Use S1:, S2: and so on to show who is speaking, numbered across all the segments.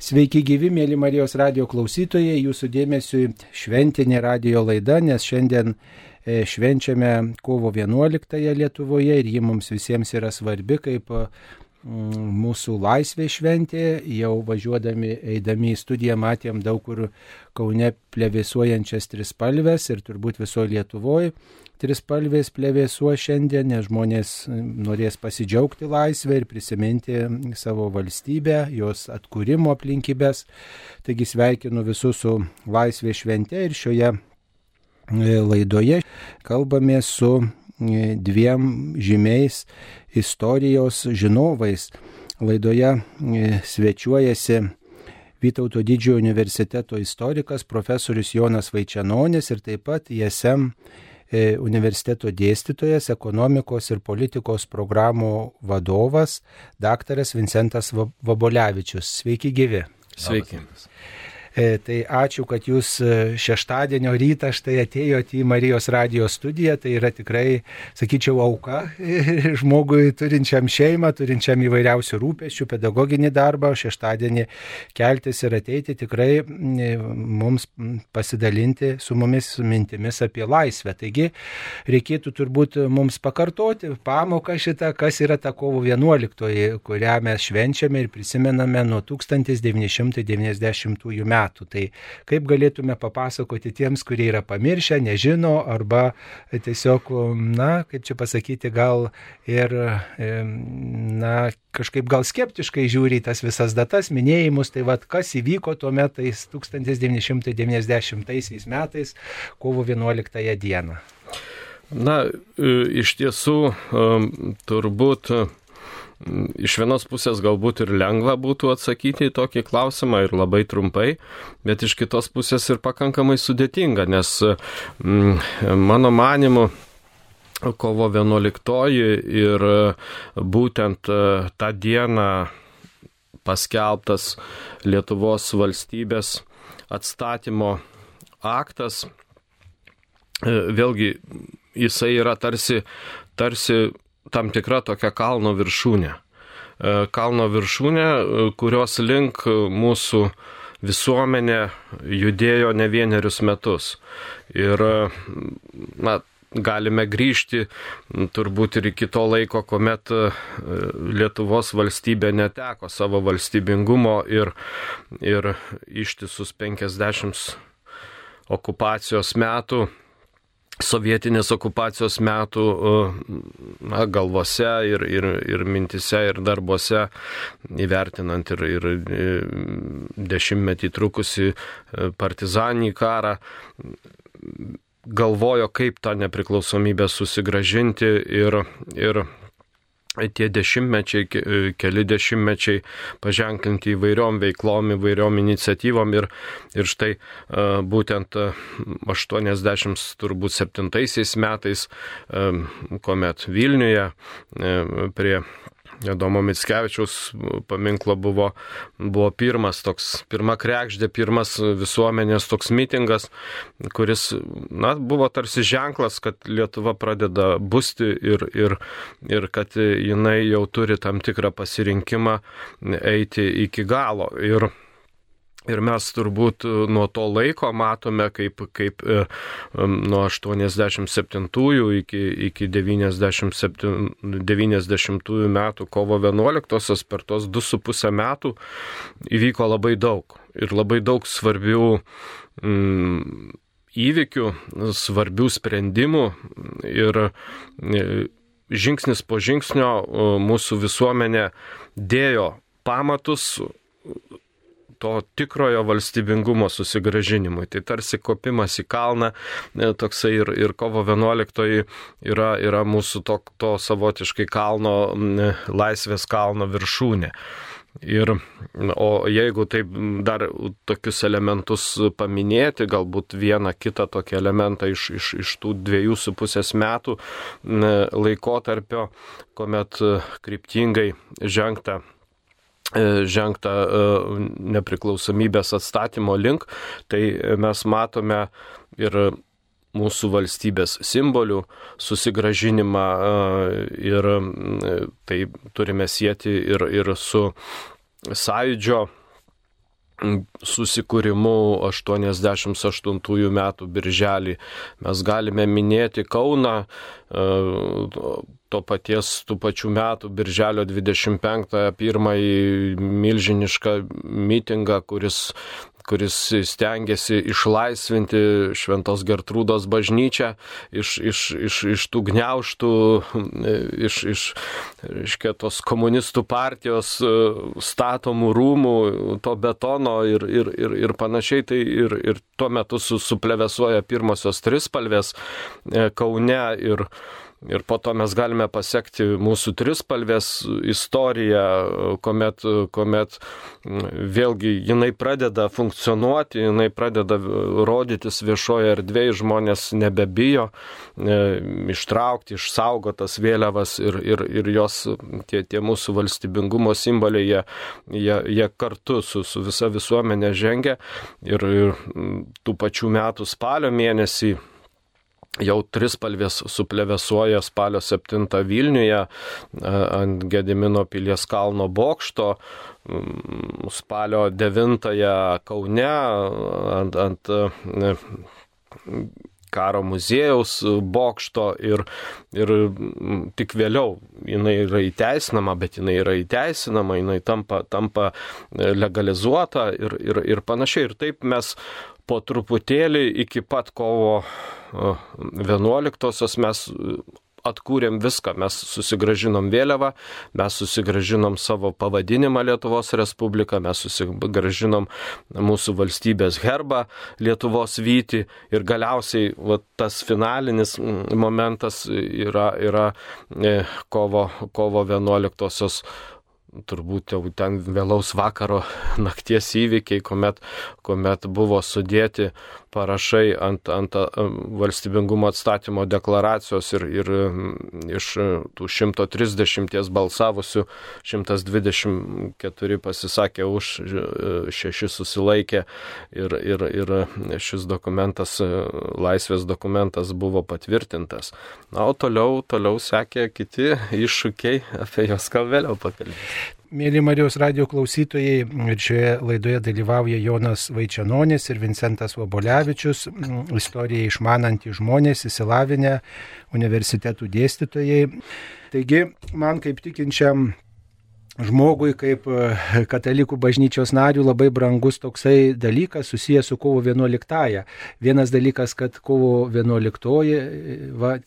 S1: Sveiki gyvi, mėly Marijos radijo klausytojai, jūsų dėmesiui šventinė radijo laida, nes šiandien švenčiame kovo 11 Lietuvoje ir ji mums visiems yra svarbi kaip mūsų laisvės šventė. Jau važiuodami, eidami į studiją matėm daug kur Kaune plevėsuojančias trispalves ir turbūt visoje Lietuvoje trispalvės plevėsuo šiandien, nes žmonės norės pasidžiaugti laisvę ir prisiminti savo valstybę, jos atkūrimo aplinkybės. Taigi sveikinu visus su laisvės švente ir šioje laidoje kalbame su dviem žymiais istorijos žinovais. Laidoje svečiuojasi Vytauto Didžiojo universiteto istorikas profesorius Jonas Vaičenonis ir taip pat ISM universiteto dėstytojas, ekonomikos ir politikos programų vadovas, daktaras Vincentas Vabolevičius. Sveiki gyvi.
S2: Sveiki.
S1: Tai ačiū, kad jūs šeštadienio rytą štai atėjote į Marijos radijo studiją. Tai yra tikrai, sakyčiau, auka žmogui turinčiam šeimą, turinčiam įvairiausių rūpesčių, pedagoginį darbą, šeštadienį keltis ir ateiti tikrai mums pasidalinti su mumis mintimis apie laisvę. Taigi reikėtų turbūt mums pakartoti pamoką šitą, kas yra ta kovo 11, kurią mes švenčiame ir prisimename nuo 1990 metų. Tai kaip galėtume papasakoti tiems, kurie yra pamiršę, nežino arba tiesiog, kaip čia pasakyti, gal ir, kažkaip gal skeptiškai žiūri į tas visas datas, minėjimus, tai kas įvyko tuo metais 1990 metais, kovo 11 dieną?
S2: Iš tiesų, turbūt iš vienos pusės galbūt ir lengva būtų atsakyti į tokį klausimą ir labai trumpai, bet iš kitos pusės ir pakankamai sudėtinga, nes mano manymu kovo 11 ir būtent tą dieną paskelbtas Lietuvos valstybės atstatymo aktas, vėlgi jisai yra tarsi tam tikra tokia kalno viršūnė. Kalno viršūnė, kurios link mūsų visuomenė judėjo ne vienerius metus. Ir galime grįžti turbūt ir iki to laiko, kuomet Lietuvos valstybė neteko savo valstybingumo ir ištisus 50 okupacijos metų, sovietinės okupacijos metų galvose ir mintise ir darbuose, įvertinant ir dešimtmetį trukusį partizaninį karą, galvojo, kaip tą nepriklausomybę susigrąžinti ir tie dešimtmečiai, keli dešimtmečiai paženklinti įvairiom veiklom, įvairiom iniciatyvom ir štai būtent 87 metais, kuomet Vilniuje prie Adomo Mickevičiaus paminklo buvo pirma kregždė, pirmas visuomenės toks mitingas, kuris buvo tarsi ženklas, kad Lietuva pradeda busti ir kad jinai jau turi tam tikrą pasirinkimą eiti iki galo. Ir mes turbūt nuo to laiko matome, kaip nuo 87 iki 90 metų kovo 11 per tos 2,5 metų įvyko labai daug. Ir labai daug svarbių įvykių, svarbių sprendimų ir žingsnis po žingsnio mūsų visuomenė dėjo pamatus to tikrojo valstybingumo susigrąžinimui. Tai tarsi kopimas į kalną, toksai ir kovo 11 yra mūsų to savotiškai kalno, laisvės kalno viršūnė. O jeigu taip dar tokius elementus paminėti, galbūt vieną kitą tokį elementą iš tų 2,5 metų laikotarpio, kuomet kryptingai žengta nepriklausomybės atstatymo link, tai mes matome ir mūsų valstybės simbolių susigrąžinimą ir tai turime sieti ir su sąjūdžio susikūrimu 88 metų birželį. Mes galime minėti Kauną, tų pačių metų birželio 25-ąją pirmąjį milžinišką mitingą, kuris stengiasi išlaisvinti Šventos Gertrūdos bažnyčią iš tų gniaužtų, iš tos komunistų partijos statomų rūmų, to betono ir panašiai. Tai ir tuo metu suplevėsuoja pirmosios trispalvės Kaune ir po to mes galime pasekti mūsų trispalvės istoriją, kuomet vėlgi jinai pradeda funkcionuoti, jinai pradeda rodytis viešoje erdvėje, žmonės nebebijo ištraukti, išsaugotas vėliavas ir jos, tie mūsų valstybingumo simboliai, jie kartu su visa visuomenė žengia ir tų pačių metų spalio mėnesį jau trispalvės suplevėsuoja spalio 7 Vilniuje ant Gedimino pilies kalno bokšto, spalio 9 Kaune ant Karo muziejaus bokšto ir tik vėliau jinai yra įteisinama, bet jinai yra įteisinama, jinai tampa legalizuota ir panašiai. Ir taip mes po truputėlį iki pat kovo 11-osios mes atkūrėm viską, mes susigražinom vėliavą, mes susigražinom savo pavadinimą Lietuvos Respubliką, mes susigražinom mūsų valstybės herbą Lietuvos vytį ir galiausiai tas finalinis momentas yra kovo 11-osios, turbūt jau ten vėlaus vakaro nakties įvykiai, kuomet buvo sudėti parašai ant valstybingumo atstatymo deklaracijos ir iš tų 130 balsavusių 124 pasisakė už, 6 susilaikė ir šis dokumentas, laisvės dokumentas buvo patvirtintas. Na, o toliau sekė kiti iššūkiai, apie juos gal vėliau pakalbėsime.
S1: Mėly Marijos radijo klausytojai, ir šioje laidoje dalyvauja Jonas Vaičenonis ir Vincentas Vobolevičius, istoriją išmanantys žmonės, išsilavinę universitetų dėstytojai. Taigi, man kaip tikinčiam žmogui, kaip katalikų bažnyčios narių, labai brangus toksai dalykas susijęs su kovo 11-ąją. Vienas dalykas, kad kovo 11-oji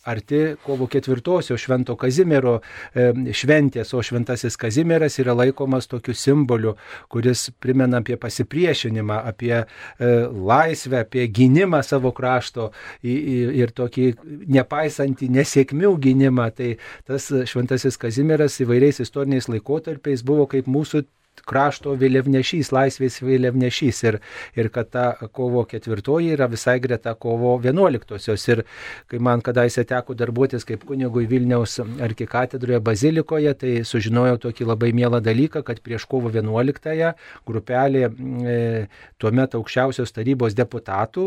S1: arti kovo 4-osios Švento Kazimiero šventės, o Šventasis Kazimieras yra laikomas tokiu simboliu, kuris primena apie pasipriešinimą, apie laisvę, apie gynimą savo krašto ir tokį nepaisantį nesėkmių gynimą. Tai tas Šventasis Kazimieras įvairiais istoriniais laikotarpiais buvo kaip mūsų krašto vėliavnešys, laisvės vėliavnešys ir kad ta kovo 4 yra visai greta kovo 11-osios. Ir kai man kadaise teko darbuotis kaip kunigui Vilniaus arkikatedroje bazilikoje, tai sužinojau tokį labai mielą dalyką, kad prieš kovo 11-ąją grupelė tuomet aukščiausios tarybos deputatų,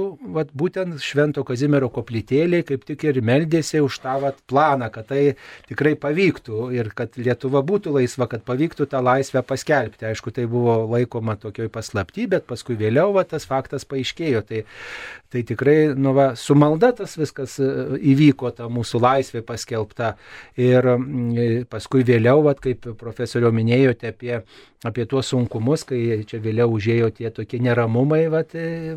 S1: būtent Švento Kazimiero koplytėlė, kaip tik ir meldėsi už tą planą, kad tai tikrai pavyktų ir kad Lietuva būtų laisva, kad pavyktų tą laisvę paskelbti. Aišku, tai buvo laikoma tokioj paslapty, bet paskui vėliau tas faktas paaiškėjo. Tai tikrai su malda tas viskas įvyko, ta mūsų laisvė paskelbta. Ir paskui vėliau, kaip profesorio minėjote apie tuos sunkumus, kai čia vėliau užėjo tie tokie neramumai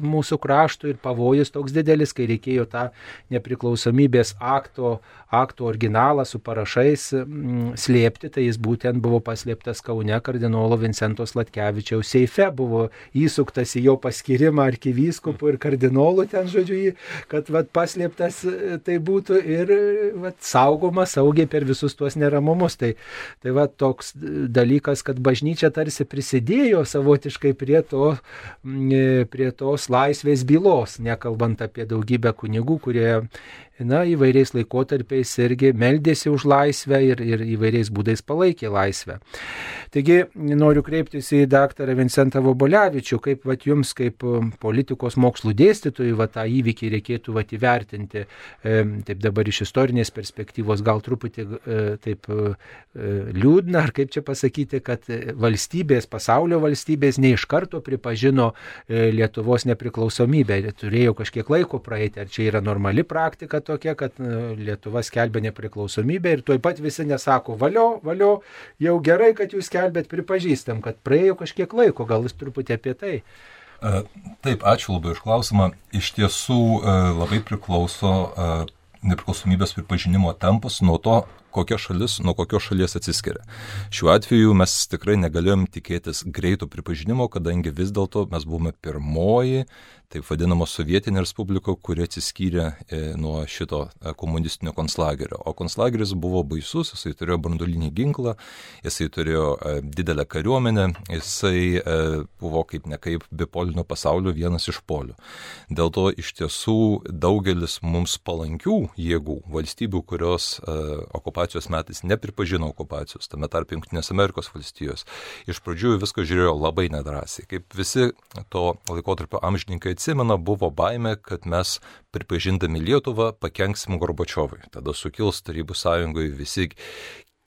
S1: mūsų kraštų ir pavojus toks didelis, kai reikėjo tą nepriklausomybės akto originalą su parašais slėpti, tai jis būtent buvo paslėptas Kaune kardinolo Vincento Sladkevičiaus seife, buvo įsuktas į jo paskyrimą arkivyskupų ir kardinolų ten, žodžiu, kad paslėptas tai būtų ir saugomas saugiai per visus tuos neramumus. Tai toks dalykas, kad bažnyčia tarsi prisidėjo savotiškai prie tos laisvės bylos, nekalbant apie daugybę kunigų, kurie įvairiais laikotarpiais irgi meldėsi už laisvę ir įvairiais būdais palaikė laisvę. Taigi noriu kreiptis į daktarą Vincentą Vobolevičių, kaip jums, kaip politikos mokslų dėstytojui, tą įvykį reikėtų įvertinti, taip dabar iš istorinės perspektyvos, gal truputį taip liūdna, ar kaip čia pasakyti, kad pasaulio valstybės ne iš karto pripažino Lietuvos nepriklausomybę, turėjo kažkiek laiko praeiti, ar čia yra normali praktika tokia, kad Lietuva skelbia nepriklausomybę ir tuoj pat visi nesako, valio, jau gerai, kad jūs bet pripažįstam, kad praėjo kažkiek laiko, gal jūs truputį apie tai.
S3: Taip, ačiū labai už klausimą. Iš tiesų labai priklauso nepriklausomybės pripažinimo tempas nuo to, kokia šalis nuo kokios šalies atsiskiria. Šiuo atveju mes tikrai negalėjom tikėtis greito pripažinimo, kadangi vis dėlto mes buvome pirmoji, taip vadinama sovietinė respublika, kuri atsiskyrė nuo šito komunistinio konclagerio. O konclageris buvo baisus, jisai turėjo branduolinį ginklą, jisai turėjo didelę kariuomenę, jisai buvo kaip nekaip bipolinio pasaulio vienas iš polių. Dėl to iš tiesų daugelis mums palankių jėgų, valstybių, kurios okupacijos metais nepripažino okupacijos, tame tarp Jungtinės Amerikos valstijos, iš pradžių viską žiūrėjo labai nedrąsiai. Kaip visi to laikotarpio amžininkai atsimena, buvo baimė, kad mes pripažindami Lietuvą pakenksim Gorbačiovui. Tada sukils Tarybų sąjungoje visi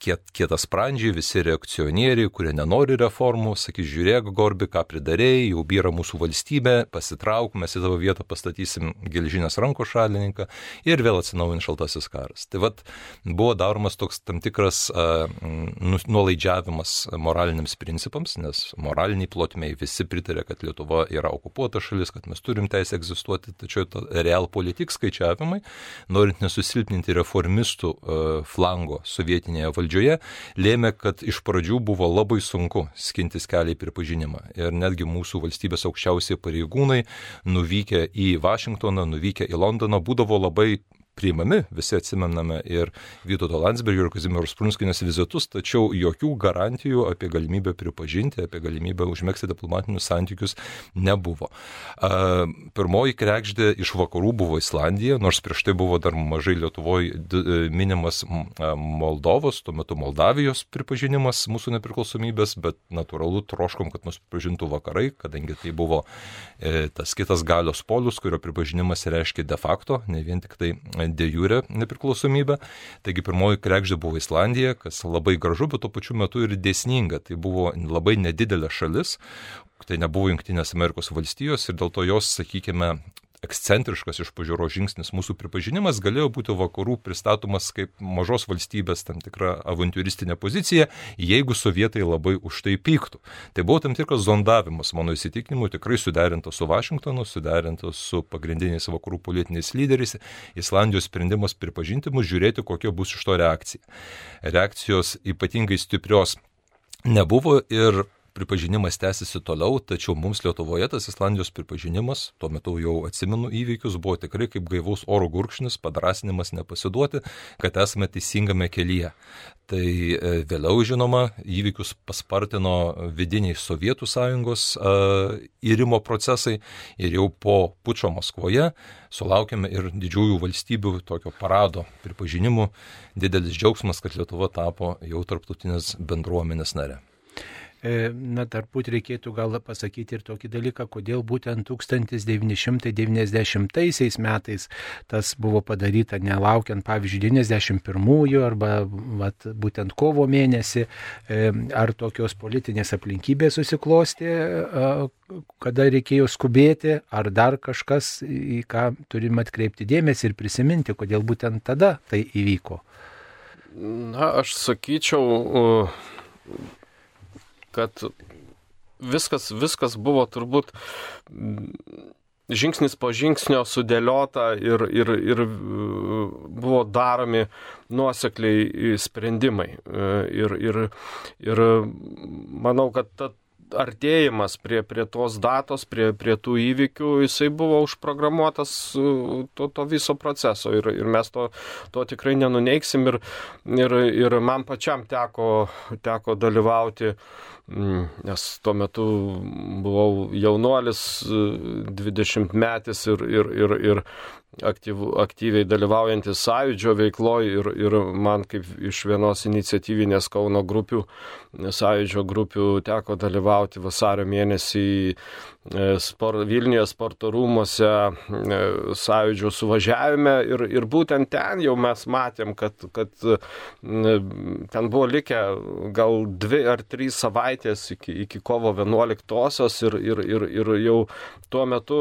S3: kietasprandžiai, visi reakcionieriai, kurie nenori reformų, sakys, žiūrėk, Gorbi, ką pridarėjai, jau byra mūsų valstybė, pasitrauk, mes į tavo vietą pastatysim geležinės rankos šalininką ir vėl atsinaujins šaltasis karas. Tai buvo daromas toks tam tikras nuolaidžiavimas moraliniams principams, nes moraliniai plotmei visi pritarė, kad Lietuva yra okupuota šalis, kad mes turim teisę egzistuoti, tačiau realpolitik skaičiavimai, norint nesusilpninti reformistų flango sovietinėje valdžioje, lėmė, kad iš pradžių buvo labai sunku skintis kelią į pripažinimą. Ir netgi mūsų valstybės aukščiausiai pareigūnai, nuvykę į Vašingtoną, nuvykę į Londoną, būdavo labai priimami, visi atsimename ir Vytauto Landsbergio ir Kazimieros Prunskienės vizitus, tačiau jokių garantijų apie galimybę pripažinti, apie galimybę užmegzti diplomatinius santykius nebuvo. Pirmoji kregždė iš vakarų buvo Islandija, nors prieš tai buvo dar mažai Lietuvoje minimas Moldovos, tuo metu Moldavijos pripažinimas mūsų nepriklausomybės, bet natūralu troškom, kad mus pripažintų vakarai, kadangi tai buvo tas kitas galios polius, kurio pripažinimas reiškia de facto, ne vien tik tai de jure nepriklausomybę. Taigi pirmoji kregždė buvo Islandija, kas labai gražu, bet tuo pačiu metu ir dėsninga. Tai buvo labai nedidelė šalis, tai nebuvo Jungtinės Amerikos valstijos ir dėl to jos, sakykime, ekscentriškas iš pažiūros žingsnis mūsų pripažinimas galėjo būti vakarų pristatomas kaip mažos valstybės tam tikra avantiūristinė pozicija, jeigu sovietai labai už tai pyktų. Tai buvo tam tikras zondavimas, mano įsitikinimu, tikrai suderintas su Vašingtonu, suderintas su pagrindiniais vakarų politiniais lyderiais. Islandijos sprendimas pripažinti mus, žiūrėti, kokia bus iš to reakcija. Reakcijos ypatingai stiprios nebuvo ir pripažinimas tęsiasi toliau, tačiau mums Lietuvoje tas Islandijos pripažinimas, tuo metu jau atsimenu įvykius, buvo tikrai kaip gaivaus oro gurkšnis, padrasinimas nepasiduoti, kad esame teisingame kelyje. Tai vėliau, žinoma, įvykius paspartino vidiniai Sovietų sąjungos irimo procesai ir jau po pučo Maskvoje sulaukėme ir didžiųjų valstybių tokio parado pripažinimų. Didelis džiaugsmas, kad Lietuva tapo jau tarptautinės bendruomenės nare.
S1: Turbūt reikėtų gal pasakyti ir tokį dalyką, kodėl būtent 1990 metais tas buvo padaryta, nelaukiant, pavyzdžiui, 91-ųjų arba būtent kovo mėnesį, ar tokios politinės aplinkybės susiklosti, kada reikėjo skubėti, ar dar kažkas, į ką turime atkreipti dėmesį ir prisiminti, kodėl būtent tada tai įvyko.
S2: Aš sakyčiau, kad viskas buvo turbūt žingsnis po žingsnio sudėliota ir buvo daromi nuosekliai sprendimai. Ir manau, kad artėjimas prie tos datos, prie tų įvykių, jisai buvo užprogramuotas to viso proceso ir mes to tikrai nenuneiksim ir man pačiam teko dalyvauti, nes tuo metu buvau jaunuolis, 20-metis ir aktyviai dalyvaujantis Sąjūdžio veikloje ir man kaip iš vienos iniciatyvinės Kauno grupių, Sąjūdžio grupių teko dalyvauti vasario mėnesį Vilniuje sporto rūmuose Sąjūdžio suvažiavime ir būtent ten jau mes matėm, kad ten buvo likę gal 2 ar 3 savaitės iki kovo 11-osios ir jau tuo metu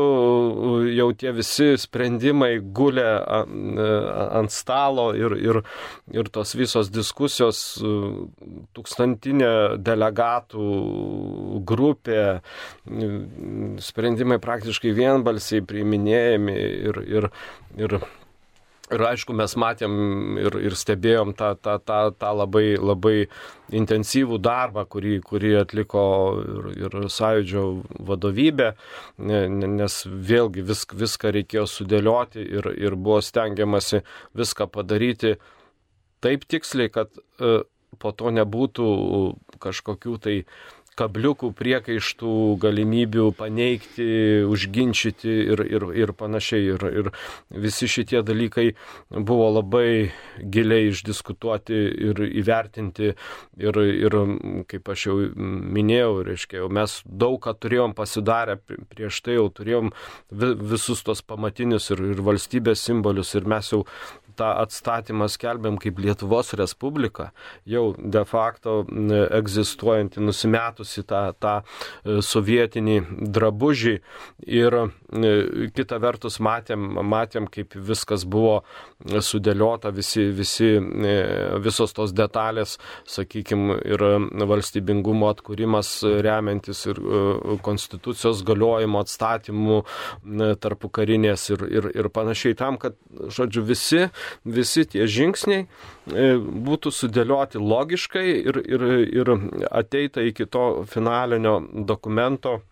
S2: jau tie visi sprendimai gulė ant stalo ir tos visos diskusijos, tūkstantinė delegatų grupė, sprendimai praktiškai vienbalsiai priiminėjami ir aišku, mes matėm ir stebėjom tą labai intensyvų darbą, kurį atliko ir Sąjūdžio vadovybė, nes vėlgi viską reikėjo sudėlioti ir buvo stengiamasi viską padaryti taip tiksliai, kad po to nebūtų kažkokių tai kabliukų, priekaištų, galimybių paneigti, užginčyti ir panašiai. Ir visi šitie dalykai buvo labai giliai išdiskutuoti ir įvertinti. Ir kaip aš jau minėjau, reiškia, mes daug ką turėjom pasidarę prieš tai, jau turėjom visus tos pamatinius ir valstybės simbolius, ir mes jau tą atstatymą skelbėm kaip Lietuvos Respubliką, jau de facto egzistuojantį, nusimetusi tą sovietinį drabužį, ir kita vertus matėm, kaip viskas buvo sudėliota, visos tos detalės, sakykime, ir valstybingumo atkūrimas remiantis ir konstitucijos galiojimo atstatymų tarpukarinės ir panašiai, tam, kad, žodžiu, visi tie žingsniai būtų sudėlioti logiškai ir ateita iki to finalinio dokumento,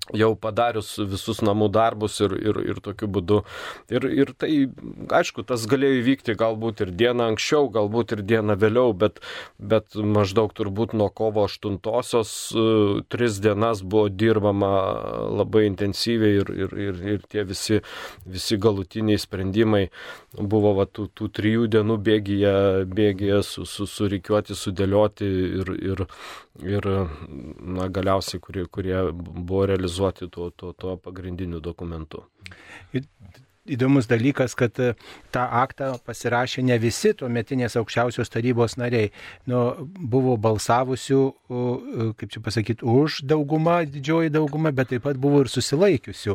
S2: jau padarius visus namų darbus ir tokiu būdu. Ir tai, aišku, tas galėjo įvykti galbūt ir dieną anksčiau, galbūt ir dieną vėliau, bet maždaug turbūt nuo kovo 8-osios 3 dienas buvo dirbama labai intensyviai ir tie visi galutiniai sprendimai buvo tų 3 dienų bėgyje surikiuoti, sudėlioti ir galiausiai, kurie buvo realizuoti tuo pagrindiniu dokumentu.
S1: Įdomus dalykas, kad tą aktą pasirašė ne visi tuometinės aukščiausios tarybos nariai. Buvo balsavusių, kaip čia pasakyti, už daugumą, didžioji dauguma, bet taip pat buvo ir susilaikiusių.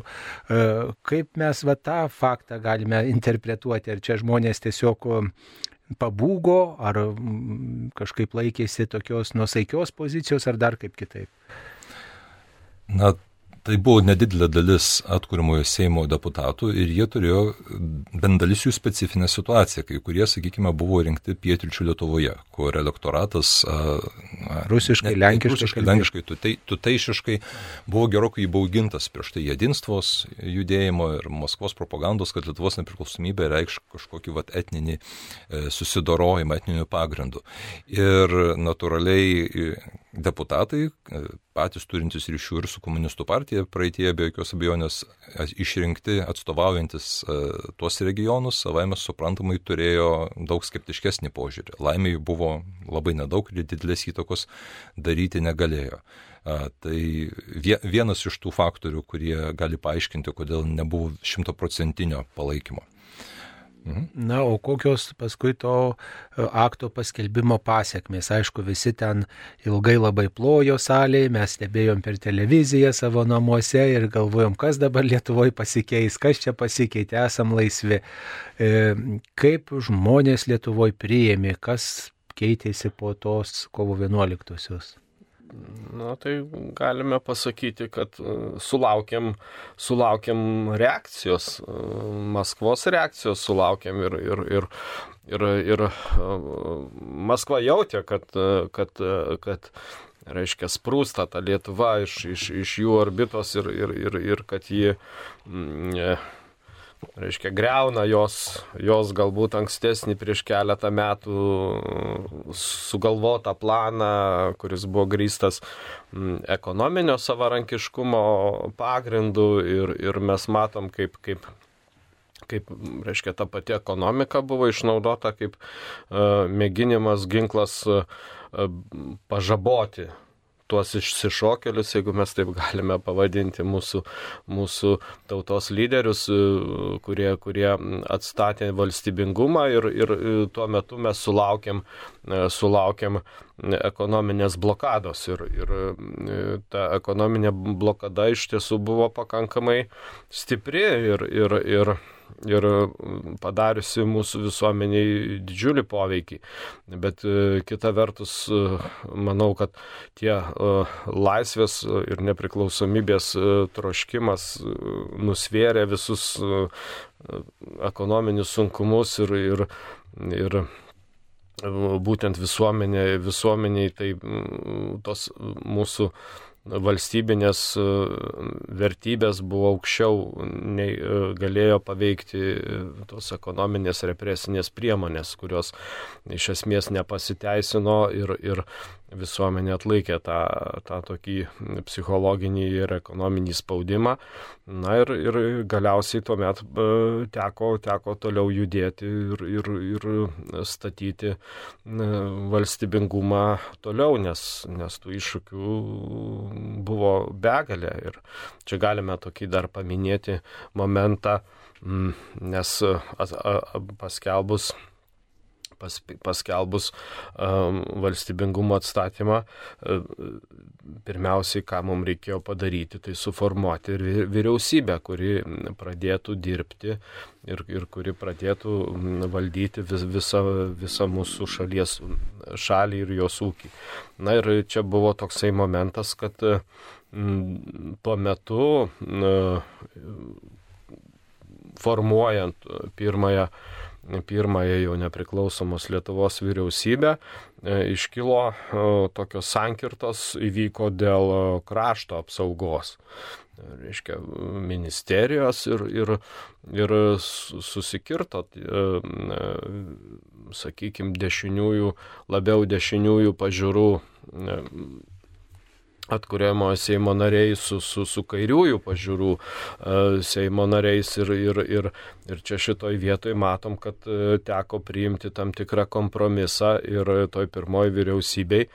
S1: Kaip mes tą faktą galime interpretuoti? Ar čia žmonės tiesiog pabūgo, ar kažkaip laikėsi tokios nuosaikios pozicijos, ar dar kaip kitaip?
S3: Tai buvo nedidelė dalis atkuriamojo Seimo deputatų ir jie turėjo bent dalis jų specifinę situaciją, kai kurie, sakykime, buvo rinkti pietryčių Lietuvoje, kur elektoratas
S1: rusiškai,
S3: lenkiškai, tuteišiškai buvo gerokai įbaugintas prieš tai Jedinstvos judėjimo ir Maskvos propagandos, kad Lietuvos nepriklausomybė reikš kažkokį etninį susidorojimą, etninių pagrindų. Ir natūraliai deputatai, patys turintys ryšių ir su komunistų partija, praeitie be jokios abejonės išrinkti, atstovaujantis tuos regionus, savaime suprantamai turėjo daug skeptiškesnį požiūrį. Laimei buvo labai nedaug ir didelės įtakos daryti negalėjo. Tai vienas iš tų faktorių, kurie gali paaiškinti, kodėl nebuvo 100% palaikymo.
S1: O kokios paskui to akto paskelbimo pasiekmės? Aišku, visi ten ilgai labai plojo salėje, mes stebėjom per televiziją savo namuose ir galvojom, kas dabar Lietuvoje pasikeis, kas čia pasikeitė, esam laisvi. Kaip žmonės Lietuvoje priėmė, kas keitėsi po tos kovo 11-osios?
S2: Tai galime pasakyti, kad sulaukėm reakcijos, Maskvos reakcijos sulaukėm ir Maskva jautė, kad reiškia sprūsta ta Lietuva iš jų orbitos ir kad ji reiškia greuna jos galbūt ankstesnį prieš keletą metų sugalvotą planą, kuris buvo grįstas ekonominio savarankiškumo pagrindu ir mes matom, kaip kaip, reiškia, ta pati ekonomika buvo išnaudota kaip mėginimas, ginklas pažaboti tuos išsišokėlius, jeigu mes taip galime pavadinti mūsų tautos lyderius, kurie atstatė valstybingumą ir tuo metu mes sulaukėm ekonominės blokados ir ta ekonominė blokada iš tiesų buvo pakankamai stipri ir padariusi mūsų visuomeniai didžiulį poveikį. Bet kita vertus, manau, kad tie laisvės ir nepriklausomybės troškimas nusvėrė visus ekonominius sunkumus ir būtent visuomeniai tai tos mūsų valstybinės vertybės buvo aukščiau, nei galėjo paveikti tos ekonominės represinės priemonės, kurios iš esmės nepasiteisino ir visuomenė atlaikė tą tokį psichologinį ir ekonominį spaudimą. Na ir galiausiai tuomet teko toliau judėti ir statyti valstybingumą toliau, nes tų iššūkių buvo begalė. Ir čia galime tokį dar paminėti momentą, nes paskelbus valstybingumo atstatymą, pirmiausiai, ką mums reikėjo padaryti, tai suformuoti ir vyriausybę, kuri pradėtų dirbti ir kuri pradėtų valdyti visą mūsų šalį ir jos ūkį. Na ir čia buvo toksai momentas, kad tuo metu formuojant pirmąją jau nepriklausomos Lietuvos vyriausybę, iškilo tokios sankirtos, įvyko dėl krašto apsaugos. Reiškia, ministerijos ir susikirto, sakykime, labiau dešiniųjų pažiūrų atkuriamojo Seimo nariai su kairiųjų pažiūrų Seimo nariais ir čia šitoj vietoj matom, kad teko priimti tam tikrą kompromisą ir toj pirmoji vyriausybei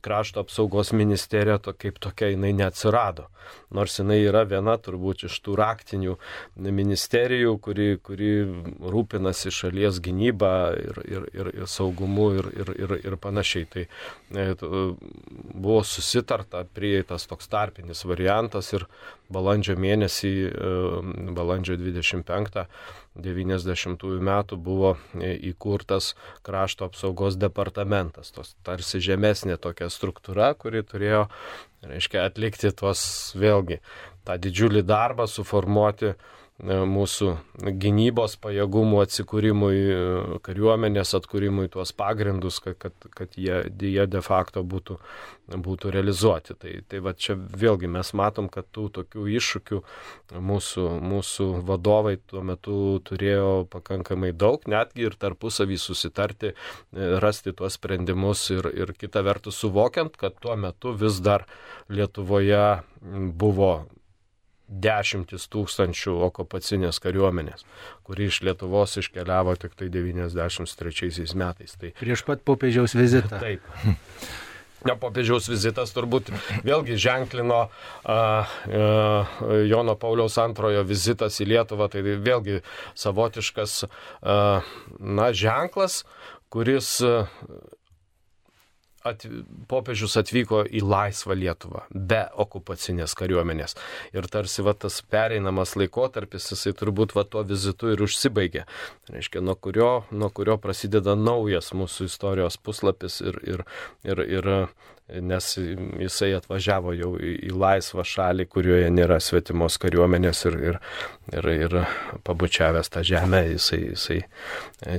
S2: krašto apsaugos ministerija kaip tokia jinai neatsirado. Nors jinai yra viena turbūt iš tų raktinių ministerijų, kuri rūpinasi šalies gynybą ir saugumu ir panašiai. Tai buvo susitarta, prieitas toks tarpinis variantas ir balandžio mėnesį, balandžio 25 90 metų buvo įkurtas krašto apsaugos departamentas, tos tarsi žemesnė tokia struktūra, kuri turėjo, reiškia, atlikti vėlgi tą didžiulį darbą, suformuoti mūsų gynybos pajėgumų atsikūrimui, kariuomenės atkūrimui tuos pagrindus, kad jie de facto būtų realizuoti. Tai va čia vėlgi mes matom, kad tų tokių iššūkių mūsų vadovai tuo metu turėjo pakankamai daug, netgi ir tarpusavį susitarti, rasti tuos sprendimus ir kita vertus suvokiant, kad tuo metu vis dar Lietuvoje buvo 10 000 okupacinės kariuomenės, kuri iš Lietuvos iškeliavo tik tai 93 metais. Tai
S1: prieš pat popiežiaus vizitą.
S2: Taip. Popiežiaus vizitas turbūt vėlgi ženklino Jono Pauliaus II vizitas į Lietuvą, tai vėlgi savotiškas ženklas, kuris popiežius atvyko į laisvą Lietuvą, be okupacinės kariuomenės. Ir tarsi tas pereinamas laikotarpis, jisai turbūt tuo vizitu ir užsibaigė. Reiškia, nuo kurio prasideda naujas mūsų istorijos puslapis ir nes jisai atvažiavo jau į laisvą šalį, kurioje nėra svetimos kariuomenės ir pabučiavęs tą žemę, jisai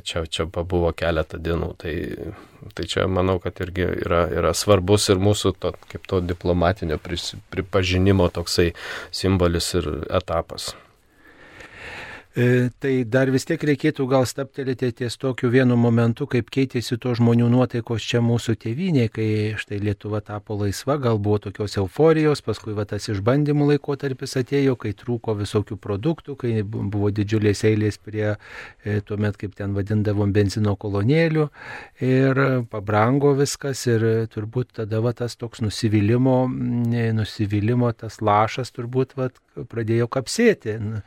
S2: čia pabuvo keletą dienų. Tai čia manau, kad irgi yra svarbus ir mūsų kaip to diplomatinio pripažinimo toksai simbolis ir etapas.
S1: Tai dar vis tiek reikėtų gal staptelėti ties tokiu vienu momentu, kaip keitėsi to žmonių nuotaikos čia mūsų tėvynėje, kai štai Lietuva tapo laisva, gal buvo tokios euforijos, paskui tas išbandymų laikotarpis atėjo, kai trūko visokių produktų, kai buvo didžiulės eilės prie tuomet, kaip ten vadindavom, benzino kolonėlių ir pabrango viskas ir turbūt tada tas toks nusivylimo tas lašas turbūt pradėjo kapsėti.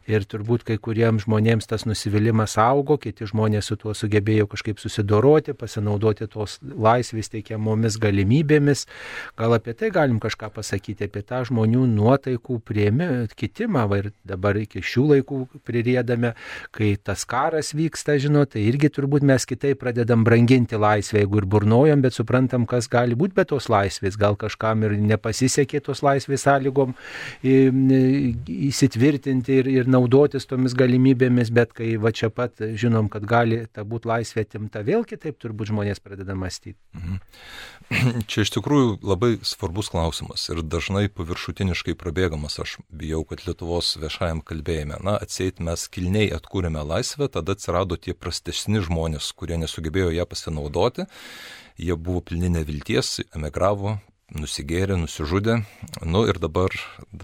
S1: Ir turbūt kai kuriems žmonėms tas nusivylimas augo, kiti žmonės su tuo sugebėjo kažkaip susidoroti, pasinaudoti tos laisvės teikiamomis galimybėmis. Gal apie tai galim kažką pasakyti, apie tą žmonių nuotaikų kitimą, ir dabar iki šių laikų pririedame, kai tas karas vyksta, tai irgi turbūt mes kitaip pradedam branginti laisvę, jeigu ir burnojam, bet suprantam, kas gali būti be tos laisvės. Gal kažkam ir nepasisekė tos laisvės sąlygom įsitvirtinti ir naudotis tomis galimybėmis, bet kai čia pat žinom, kad gali ta būti laisvė atimta, vėl kitaip turbūt žmonės pradeda mąstyti.
S3: Čia iš tikrųjų labai svarbus klausimas ir dažnai paviršutiniškai prabėgamas. Aš bijau, kad Lietuvos viešajam kalbėjime, atseit mes kilniai atkūrėme laisvę, tada atsirado tie prastesni žmonės, kurie nesugebėjo ją pasinaudoti, jie buvo pilni nevilties, emigravo, nusigėrė, nusižudė. Ir dabar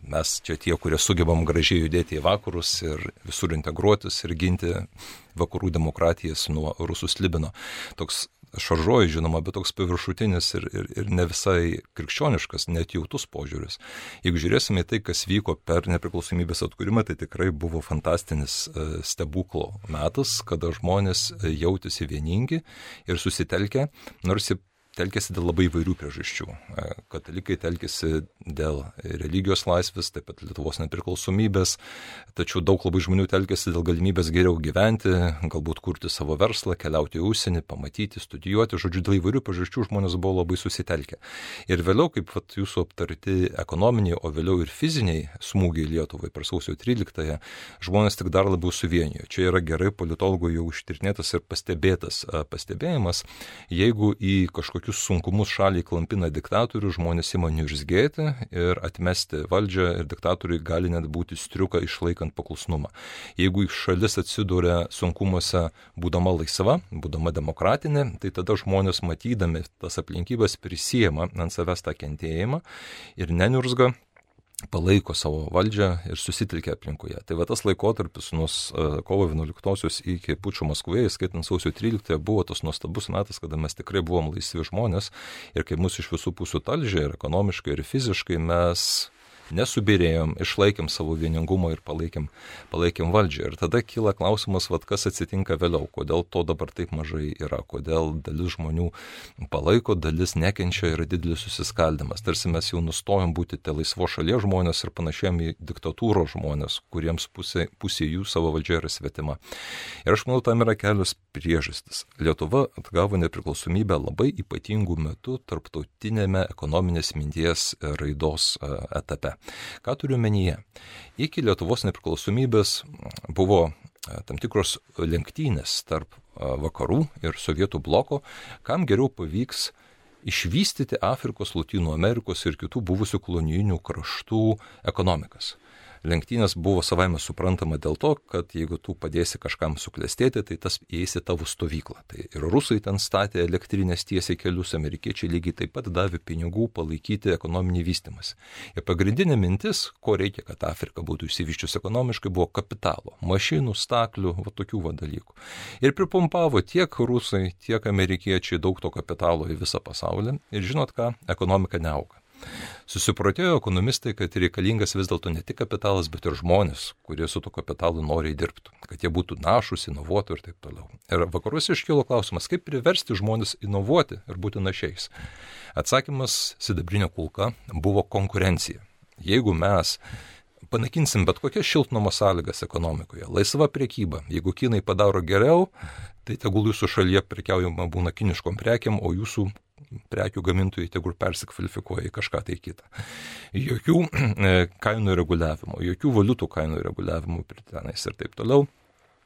S3: mes čia tie, kurie sugebam gražiai judėti į vakarus ir visur integruotis ir ginti vakarų demokratijas nuo rusų slibino. Toks šaržuoju, žinoma, bet toks paviršutinis ir ne visai krikščioniškas, neatjautus požiūris. Jeigu žiūrėsime į tai, kas vyko per nepriklausomybės atkūrimą, tai tikrai buvo fantastinis stebuklo metas, kada žmonės jautėsi vieningi ir susitelkę, nors telkėsi dėl labai įvairių priežasčių. Katalikai telkėsi dėl religijos laisvės, taip pat Lietuvos nepriklausomybės, tačiau daug labai žmonių telkėsi dėl galimybės geriau gyventi, galbūt kurti savo verslą, keliauti į užsienį, pamatyti, studijuoti. Žodžiu, dėl įvairių priežasčių žmonės buvo labai susitelkę. Ir vėliau, kaip jūsų aptarti ekonominiai, o vėliau ir fiziniai smūgiai Lietuvai per sausio 13-ąją, žmonės tik dar labiau suvienijo. Čia yra gerai politologų jau ištirnėtas ir pastebėtas pastebėjimas, jeigu į kažkokius sunkumus šaliai klampina diktatorių, žmonės ima niurzgėti ir atmesti valdžią ir diktatoriai gali net būti striuka išlaikant paklusnumą. Jeigu šalis atsiduria sunkumuose būdama laisva, būdama demokratinė, tai tada žmonės matydami tas aplinkybės prisiema ant savęs tą kentėjimą ir neniurzga, palaiko savo valdžią ir susitelkia aplinkoje. Tai tas laikotarpis nuo kovo 11-osios iki pučo Maskvoje, skaitant sausio 13-ąją, buvo tas nuostabus metas, kada mes tikrai buvom laisvi žmonės ir kai mus iš visų pusių talžė ir ekonomiškai, ir fiziškai, mes nesubirėjom, išlaikėm savo vieningumą ir palaikėm valdžią. Ir tada kyla klausimas, kas atsitinka vėliau, kodėl to dabar taip mažai yra, kodėl dalis žmonių palaiko, dalis nekenčia, yra didelis susiskaldimas. Tarsi mes jau nustojom būti tie laisvo šalies žmonės ir panašėjom į diktatūros žmonės, kuriems pusė jų savo valdžia yra svetima. Ir aš manau, tam yra kelios priežastis. Lietuva atgavo nepriklausomybę labai ypatingų metų tarptautinėme ekonominės minties raidos etape. Ką turiu menyje? Iki Lietuvos nepriklausomybės buvo tam tikros lenktynės tarp vakarų ir Sovietų bloko, kam geriau pavyks išvystyti Afrikos, Lotynų Amerikos ir kitų buvusių kolonijinių kraštų ekonomikas. Lenktynės buvo savaime suprantama dėl to, kad jeigu tu padėsi kažkam suklestėti, tai tas įeis į tavo stovyklą. Tai ir rusai ten statė elektrinės tiesiai kelius, amerikiečiai lygiai taip pat davė pinigų palaikyti ekonominį vystymąsi. Ir pagrindinė mintis, ko reikia, kad Afrika būtų išsivyščius ekonomiškai, buvo kapitalo, mašinų, staklių, tokių dalykų. Ir pripumpavo tiek rusai, tiek amerikiečiai daug to kapitalo į visą pasaulį. Ir žinot ką, ekonomika neauga. Susiprotėjo ekonomistai, kad reikalingas vis dėlto ne tik kapitalas, bet ir žmonės, kurie su to kapitalu noriai dirbtų, kad jie būtų našus, inovuotų ir taip toliau. Ir vakaruose iškilo klausimas, kaip priversti žmonės inovuoti ir būti našiais. Atsakymas sidabrinė kulka buvo konkurencija. Jeigu mes panaikinsim bet kokias šiltnamo sąlygas ekonomikoje, laisva prekyba, jeigu kinai padaro geriau, tai tegul jūsų šalyje prekiaujama būna kiniškom prekiam, o jūsų prekių gamintojai tegul persikvalifikuoja į kažką tai kitą. Jokių kainų reguliavimo, jokių valiutų kainų reguliavimo tenais ir taip toliau.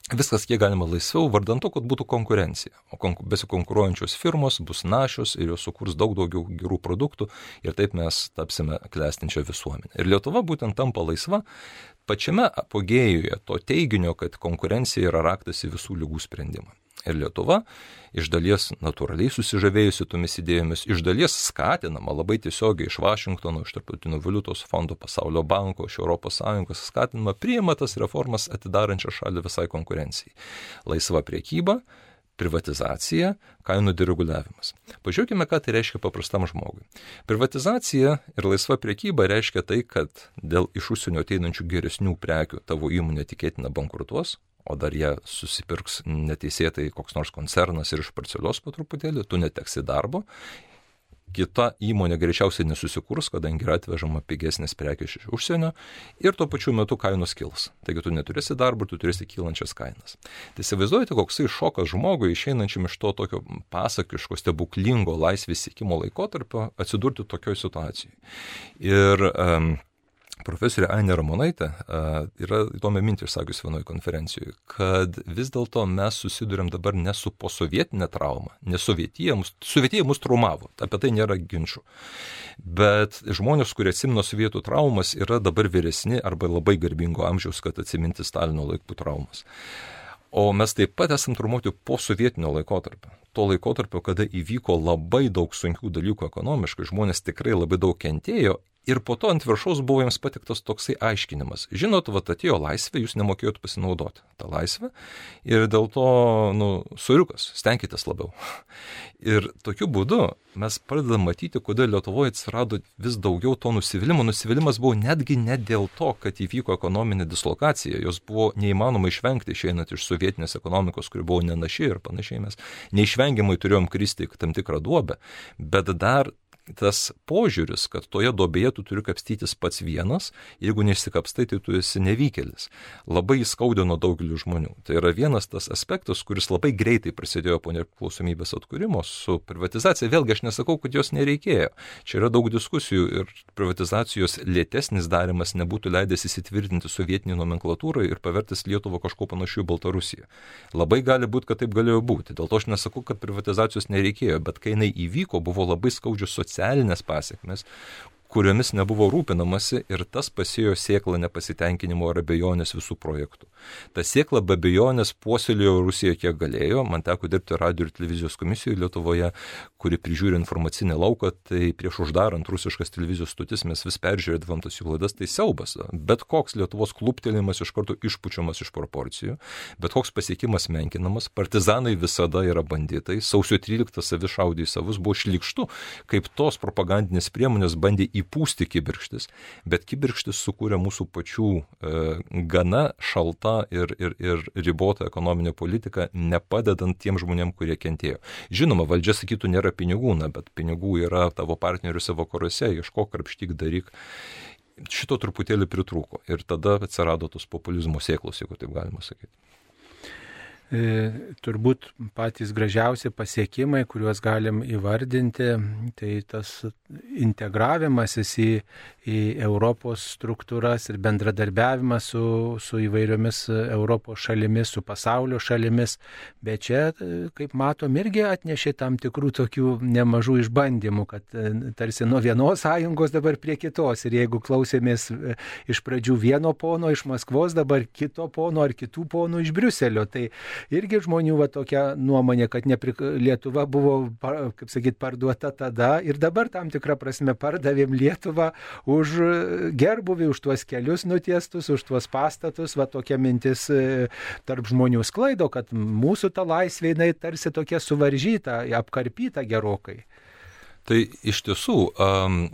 S3: Viskas kiek galima laisviau, vardant to, kad būtų konkurencija. O besikonkuruojančios firmos bus našios ir jos sukurs daug daugiau gerų produktų ir taip mes tapsime klestinčią visuomenę. Ir Lietuva būtent tampa laisva pačiame apogėjuje to teiginio, kad konkurencija yra raktas į visų ligų sprendimą. Ir Lietuva iš dalies natūraliai susižavėjusi tomis idėjomis, iš dalies skatinama labai tiesiogiai iš Vašingtono, iš Tarptautinio valiutos fondo, Pasaulio banko, iš ES skatinama, priima tas reformas atidarančią šalį visai konkurencijai. Laisva priekyba, privatizacija, kainų dereguliavimas. Pažiūrėkime, ką tai reiškia paprastam žmogui. Privatizacija ir laisva priekyba reiškia tai, kad dėl iš užsienio ateinančių geresnių prekių tavo įmonė tikėtina bankrutuos, o dar jie susipirks neteisėtai koks nors koncernas ir išparceliuos po truputėlį, tu neteksi darbo. Kita įmonė greičiausiai nesusikurs, kadangi yra atvežama pigesnės prekės iš užsienio ir tuo pačiu metu kainos kils. Taigi tu neturėsi darbo, tu turėsi kylančias kainas. Tai įsivaizduojate, koksai šokas žmogui išeinančiam iš to tokio pasakiško, stebuklingo laisvės siekimo laikotarpio atsidurti tokioj situacijai. Ir profesorė Ainė Ramonaitė yra įdomią mintį išsakiusi vienoje konferencijoje, kad vis dėlto mes susidurėm dabar ne su posovietinė trauma, ne sovietija mus traumavo, apie tai nėra ginčių. Bet žmonės, kurie atsimino sovietų traumas, yra dabar vyresni arba labai garbingo amžiaus, kad atsiminti Stalino laikų traumas. O mes taip pat esam traumuoti po sovietinio laikotarpio. To laikotarpio, kada įvyko labai daug sunkių dalykų ekonomiškai, žmonės tikrai labai daug kentėjo. Ir po to ant viršaus buvo jiems patiktas toksai aiškinimas. Žinot, atėjo laisvė, jūs nemokėjot pasinaudoti tą laisvę ir dėl to, soriukas, stenkitės labiau. Ir tokiu būdu mes pradedam matyti, kodėl Lietuvoje atsirado vis daugiau to nusivylimo. Nusivylimas buvo netgi ne dėl to, kad įvyko ekonominė dislokacija. Jos buvo neįmanoma išvengti išeinant iš sovietinės ekonomikos, kuri buvo nenaši ir panašiai. Mes neišvengiamai turėjom kristi tam tikrą duobę, bet dar tas požiūris, kad toje duobėje tu turi kapstytis pats vienas, jeigu neišsikapstai, tai tu esi nevykėlis. Labai įskaudino daugelį žmonių. Tai yra vienas tas aspektas, kuris labai greitai prasidėjo po nepriklausomybės atkūrimo su privatizacija. Vėlgi aš nesakau, kad jos nereikėjo. Čia yra daug diskusijų ir privatizacijos lėtesnis darimas nebūtų leidęs įsitvirtinti sovietinį nomenklatūrą ir pavertis Lietuvą kažko panašiu į Baltarusiją. Labai gali būti, kad taip galėjo būti. Dėl to aš nesakau, kad privatizacijos nereikėjo, bet kai jinai įvyko, buvo labai skaudžios socialinės pasiekmes, kuriomis nebuvo rūpinamasi ir tas pasėjo sėklą nepasitenkinimo ar abejonės visų projektų. Ta sėkla be abejonės puoselėjo Rusija kiek galėjo. Man teko dirbti radio ir televizijos komisijoje Lietuvoje, kuri prižiūri informacinę lauką, tai prieš uždarant rusiškas televizijos stotis mes vis peržiūrėdavom tas jų laidas, tai siaubas. Bet koks Lietuvos kluptelėjimas iš karto išpučiamas iš proporcijų, bet koks pasiekimas menkinamas, partizanai visada yra banditai, sausio 13 savi šaudė į savus, buvo šlykštu, kaip tos propagandinės priemonės bandė įpūsti kibirkštis, bet kibirkštis sukūrė mūsų pačių gana šalta ir ribota ekonominė politika, nepadedant tiem žmonėm, kurie kentėjo. Žinoma, valdžia sakytų, nėra pinigų, bet pinigų yra tavo partneriuose vakaruose, ieškok, krapštyk, daryk. Šito truputėlį pritrūko ir tada atsirado tos populizmo sėklos, jeigu taip galima sakyti.
S1: Turbūt patys gražiausi pasiekimai, kuriuos galim įvardinti, tai tas integravimasis į Europos struktūras ir bendradarbiavimas su įvairiomis Europos šalimis, su pasaulio šalimis, bet čia, kaip matom, irgi atnešė tam tikrų tokių nemažų išbandymų, kad tarsi nuo vienos sąjungos dabar prie kitos ir jeigu klausėmės iš pradžių vieno pono iš Maskvos, dabar kito pono ar kitų ponų iš Briuselio, tai irgi žmonių tokia nuomonė, kad Lietuva buvo, kaip sakyt, parduota tada ir dabar tam tikrą prasme pardavėm Lietuvą už gerbuvį, už tuos kelius nutiestus, už tuos pastatus. Tokia mintis tarp žmonių sklaido, kad mūsų ta laisvė, jinai tarsi tokia suvaržyta, apkarpyta gerokai.
S3: Tai iš tiesų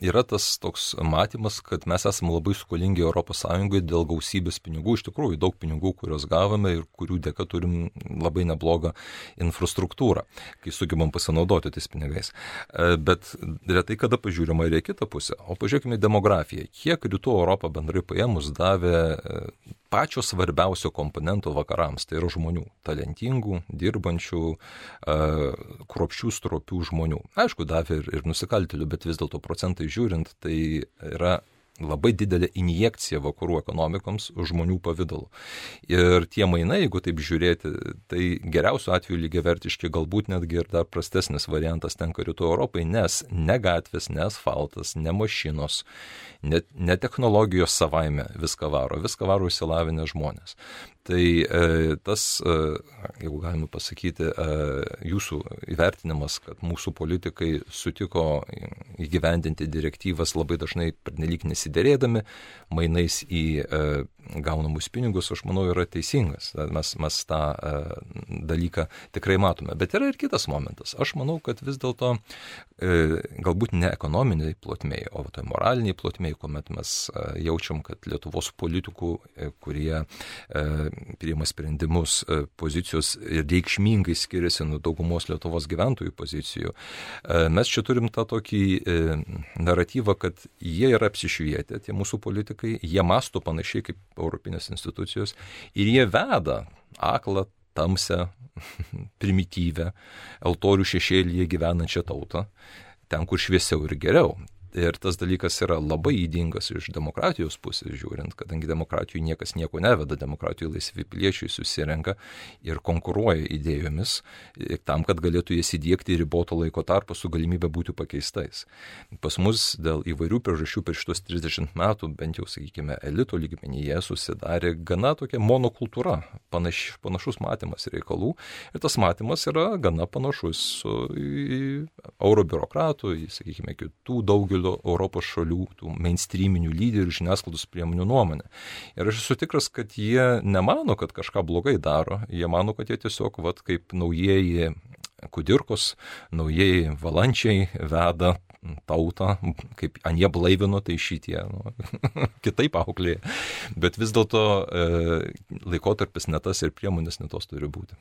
S3: yra tas toks matymas, kad mes esame labai skolingi ES dėl gausybės pinigų, iš tikrųjų daug pinigų, kuriuos gavome ir kurių dėka turim labai neblogą infrastruktūrą, kai sugebam pasinaudoti tais pinigais. Bet retai kada pažiūrima ir į kitą pusę. O pažiūrėkime demografiją. Kiek rytų Europą bendrai paėmus davė pačio svarbiausio komponento vakarams, tai yra žmonių, talentingų, dirbančių, kruopščių, stropių žmonių. Aišku, davė ir nusikaltėlių, bet vis dėlto procentai žiūrint, tai yra labai didelė injekcija vakarų ekonomikoms žmonių pavidalu. Ir tie mainai, jeigu taip žiūrėti, tai geriausiu atveju lygiavertiški, galbūt netgi ir dar prastesnis variantas tenka Rytų Europai, nes ne gatvės, ne asfaltas, ne mašinos, ne technologijos savaime viską varo išsilavinę žmonės. Tai tas, jeigu galima pasakyti, jūsų įvertinimas, kad mūsų politikai sutiko įgyvendinti direktyvas labai dažnai pernelyg nesiderėdami, mainais į gaunamus pinigus, aš manau, yra teisingas. Mes tą dalyką tikrai matome. Bet yra ir kitas momentas. Aš manau, kad vis dėlto galbūt ne ekonominiai plotmei, o tai moraliniai plotmei, kuomet mes jaučiam, kad Lietuvos politikų, kurie priima sprendimus, pozicijos reikšmingai skiriasi nuo daugumos Lietuvos gyventojų pozicijų. Mes čia turim tą tokį naratyvą, kad jie yra apsišvietę, tie mūsų politikai, jie mąsto panašiai kaip europinės institucijos ir jie veda aklą, tamsią, primityvę, altorių šešėlyje gyvenančią tautą, ten, kur šviesiau ir geriau. Ir tas dalykas yra labai ydingas iš demokratijos pusės žiūrint, kadangi demokratijų niekas nieko neveda, demokratijų laisvi piliečiai susirenka ir konkuruoja idėjomis tam, kad galėtų jas įdiegti riboto laiko tarpu su galimybė būti pakeistais. Pas mus dėl įvairių priežasčių per šitos 30 metų, bent jau, sakykime, elito lygmenyje susidarė gana tokia monokultūra, panašus matymas reikalų ir tas matymas yra gana panašus į eurobiurokratų, į, sakykime, kitų daugelio Europos šalių, tų mainstreaminių lyderių žiniasklaidos priemonių nuomonę. Ir aš esu tikras, kad jie nemano, kad kažką blogai daro, jie mano, kad jie tiesiog, kaip naujieji kudirkos, naujieji valančiai veda tautą, kaip anie blaivino, tai šitie kitaip auklėja. Bet vis dėlto laikotarpis ne tas ir priemonės ne tos turi būti.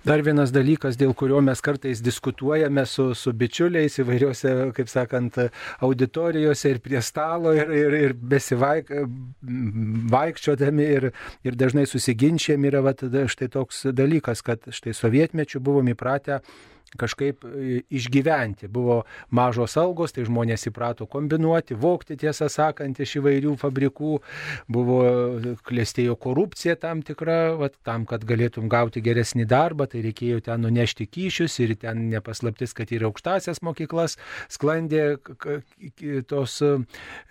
S1: Dar vienas dalykas, dėl kurio mes kartais diskutuojame su bičiuliais įvairiuose, kaip sakant, auditorijose ir prie stalo ir besivaikščiodami ir dažnai susiginčiam yra štai toks dalykas, kad štai sovietmečiu buvom įpratę kažkaip išgyventi. Buvo mažos algos, tai žmonės įprato kombinuoti, vogti, tiesą sakant, iš įvairių fabrikų. Buvo klestėjo korupcija tam tikra, tam, kad galėtum gauti geresnį darbą, tai reikėjo ten nunešti kyšius ir ten nepaslaptis, kad ir aukštasias mokyklas sklandė tos,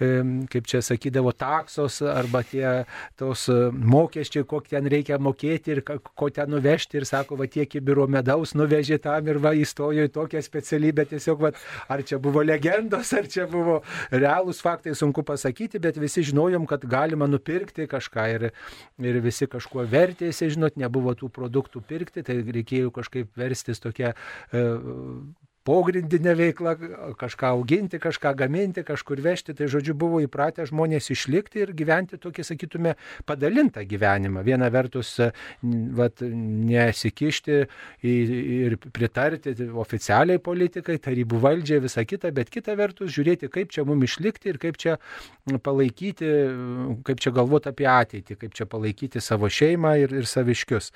S1: kaip čia sakydavo, taksos arba tos mokesčiai, kokį ten reikia mokėti ir ko ten nuvežti ir sako, tiek kibiro medaus nuvežė tam ir įstojo į tokią specialybę, tiesiog, ar čia buvo legendos, ar čia buvo realūs faktai, sunku pasakyti, bet visi žinojom, kad galima nupirkti kažką ir visi kažkuo vertėsi, žinot, nebuvo tų produktų pirkti, tai reikėjo kažkaip verstis tokia pogrindinė veikla, kažką auginti, kažką gaminti, kažkur vežti, tai žodžiu buvo įpratę žmonės išlikti ir gyventi tokį, sakytume, padalintą gyvenimą. Viena vertus nesikišti ir pritarti oficialiai politikai, tarybų valdžiai, visą kitą, bet kita vertus žiūrėti, kaip čia mums išlikti ir kaip čia palaikyti, kaip čia galvoti apie ateitį, kaip čia palaikyti savo šeimą ir saviškius.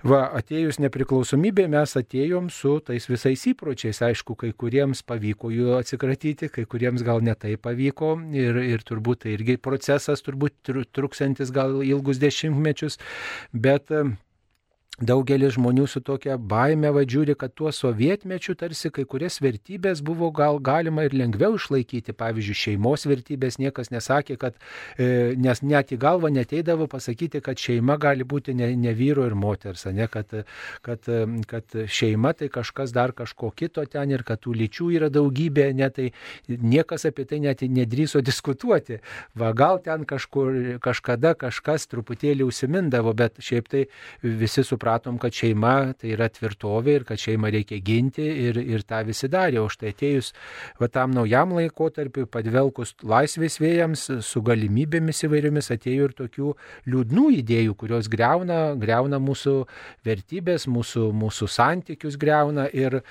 S1: Atėjus nepriklausomybė mes atėjom su tais visais įpročiais. Aišku, kai kuriems pavyko jų atsikratyti, kai kuriems gal netai pavyko ir turbūt tai irgi procesas, turbūt truksantis gal ilgus dešimtmečius, bet daugelis žmonių su tokia baime žiūri, kad tuo sovietmečiu tarsi kai kurias vertybės buvo gal galima ir lengviau išlaikyti. Pavyzdžiui, šeimos vertybės niekas nesakė, kad, nes net į galvą neteidavo pasakyti, kad šeima gali būti ne vyro ir moters, ne, kad šeima tai kažkas dar kažko kito ten ir kad tų lyčių yra daugybė, ne, tai niekas apie tai net nedrįso diskutuoti. Gal ten kažkada kažkas truputėlį užsimindavo, bet šiaip tai visi supratom, kad šeima tai yra tvirtovė ir kad šeimą reikia ginti ir tą visi darė. O štai atėjus tam naujam laikotarpiu, padvelkus laisvės vėjams, su galimybėmis įvairiomis atėjo ir tokių liūdnų idėjų, kurios greuna mūsų vertybės, mūsų santykius greuna ir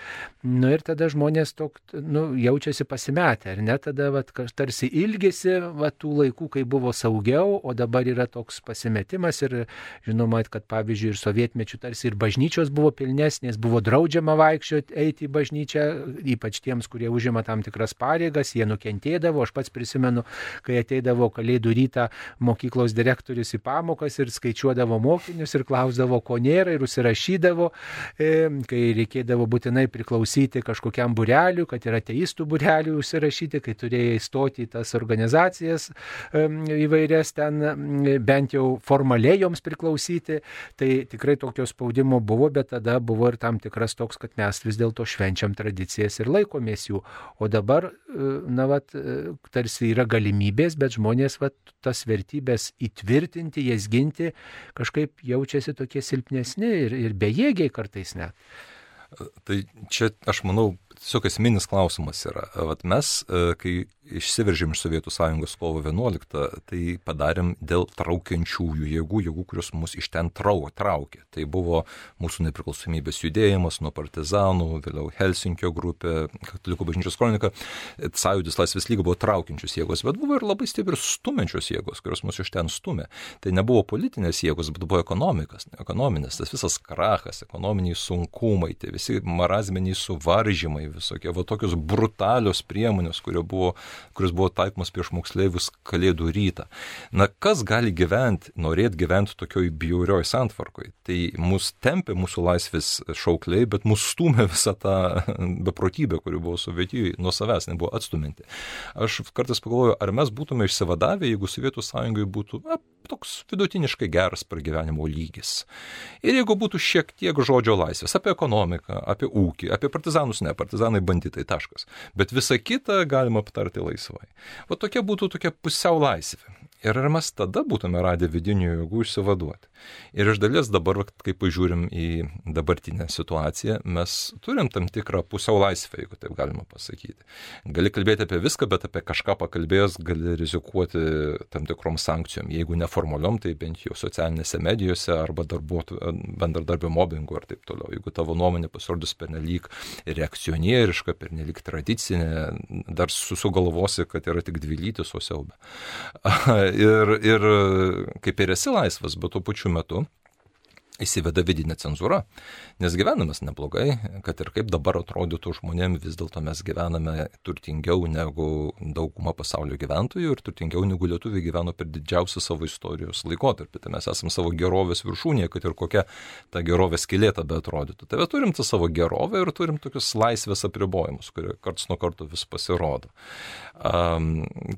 S1: tada žmonės jaučiasi pasimetę, ar ne? Tada tarsi ilgisi tų laikų, kai buvo saugiau, o dabar yra toks pasimetimas ir žinoma, kad pavyzdžiui ir sovietmečiu sovietmečiu tarsi ir bažnyčios buvo pilnesnės, buvo draudžiama vaikščioti, eiti į bažnyčią, ypač tiems, kurie užima tam tikras pareigas, jie nukentėdavo. Aš pats prisimenu, kai ateidavo Kalėdų rytą mokyklos direktorius į pamokas ir skaičiuodavo mokinius ir klausdavo, ko nėra, ir užsirašydavo, kai reikėdavo būtinai priklausyti kažkokiam būreliui, kad yra ateistų būreliui užsirašyti, kai turėjai įstoti į tas organizacijas įvairias ten, bent jau formaliai joms priklausyti, tai tikrai tokio spaudimo buvo, bet tada buvo ir tam tikras toks, kad mes vis dėlto švenčiam tradicijas ir laikomės jų. O dabar, tarsi yra galimybės, bet žmonės tas vertybės įtvirtinti, jas ginti, kažkaip jaučiasi tokie silpnesni ir bejėgiai kartais net.
S3: Tai čia, aš manau, tiesiog esminis klausimas yra. Mes, kai išsiveržėm iš Sovietų Sąjungos kovo 11, tai padarėm dėl traukiančiųjų jėgų, kurios mus iš ten traukė. Tai buvo mūsų nepriklausomybės judėjimas nuo partizanų, vėliau Helsinkio grupė, Katalikų bažnyčios kronika, Sąjūdis, Laisvės lyga buvo traukiančios jėgos, bet buvo ir labai stiprios stumiančios jėgos, kurios mus iš ten stumė. Tai nebuvo politinės jėgos, bet buvo ekonominės, tas visas krachas, ekonominiai sunkumai, tai visi marazminiai suvaržymai, visokie, tokios brutalios priemonės, kurios buvo taikomas prieš moksleivius Kalėdų rytą. Kas gali norėti gyventi tokioj bjaurioj santvarkoj? Tai mus tempė mūsų laisvės šaukliai, bet mus stumė visą tą beprotybę, kuri buvo Sovietijoje, nuo savęs nebuvo atstuminti. Aš kartais pagalvoju, ar mes būtume išsivadavę, jeigu Sovietų Sąjungai būtų toks vidutiniškai geras pragyvenimo lygis. Ir jeigu būtų šiek tiek žodžio laisvės apie ekonomiką, apie ūkį, apie partizanus, partizanai banditai, taškas. Bet visą kitą galima aptarti laisvai. Tokia būtų tokia pusiau laisvė. Ir ar mes tada būtume radę vidinių jėgų išsivaduoti? Ir iš dalies dabar, kai pažiūrim į dabartinę situaciją, mes turim tam tikrą pusiau laisvę, jeigu taip galima pasakyti. Gali kalbėti apie viską, bet apie kažką pakalbėjęs gali rizikuoti tam tikrom sankcijom. Jeigu neformaliom, tai bent jau socialinėse medijose arba bendradarbio mobbingu ar taip toliau. Jeigu tavo nuomonė pasirodys pernelyg reakcionieriška, pernelyg tradicinė, dar sugalvosi, kad yra tik dvilytis, o siaubė. Ir kaip ir esi laisvas, bet tuo pačiu metu įsiveda vidinė cenzūra, nes gyvename neblogai, kad ir kaip dabar atrodytų žmonėm, vis dėlto mes gyvename turtingiau negu dauguma pasaulio gyventojų ir turtingiau negu lietuviai gyveno per didžiausią savo istorijos laikotarpį. Tai mes esame savo gerovės viršūnėje, kad ir kokia ta gerovės skylėta beatrodytų. Tai turim tą savo gerovę ir turim tokius laisvės apribojimus, kurie karts nuo karto vis pasirodo.